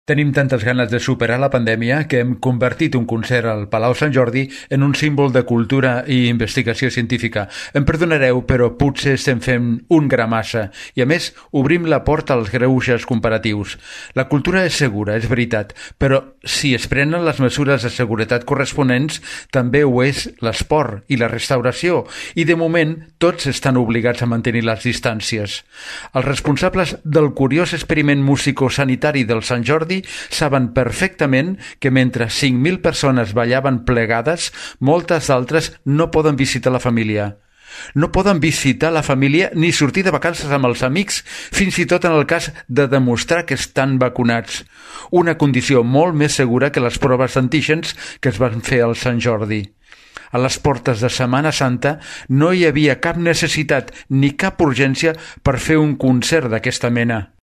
Tenim tantes ganes de superar la pandèmia que hem convertit un concert al Palau Sant Jordi en un símbol de cultura i investigació científica. Em perdonareu, però potser estem fent un gra massa i, a més, obrim la porta als greuges comparatius. La cultura és segura, és veritat, però si es prenen les mesures de seguretat corresponents, també ho és l'esport i la restauració, i de moment tots estan obligats a mantenir les distàncies. Els responsables del curiós experiment musicosanitari del Sant Jordi saben perfectament que mentre 5.000 persones ballaven plegades, moltes altres no poden visitar la família. No poden visitar la família ni sortir de vacances amb els amics, fins i tot en el cas de demostrar que estan vacunats. Una condició molt més segura que les proves d'antígens que es van fer al Sant Jordi. A les portes de Setmana Santa no hi havia cap necessitat ni cap urgència per fer un concert d'aquesta mena.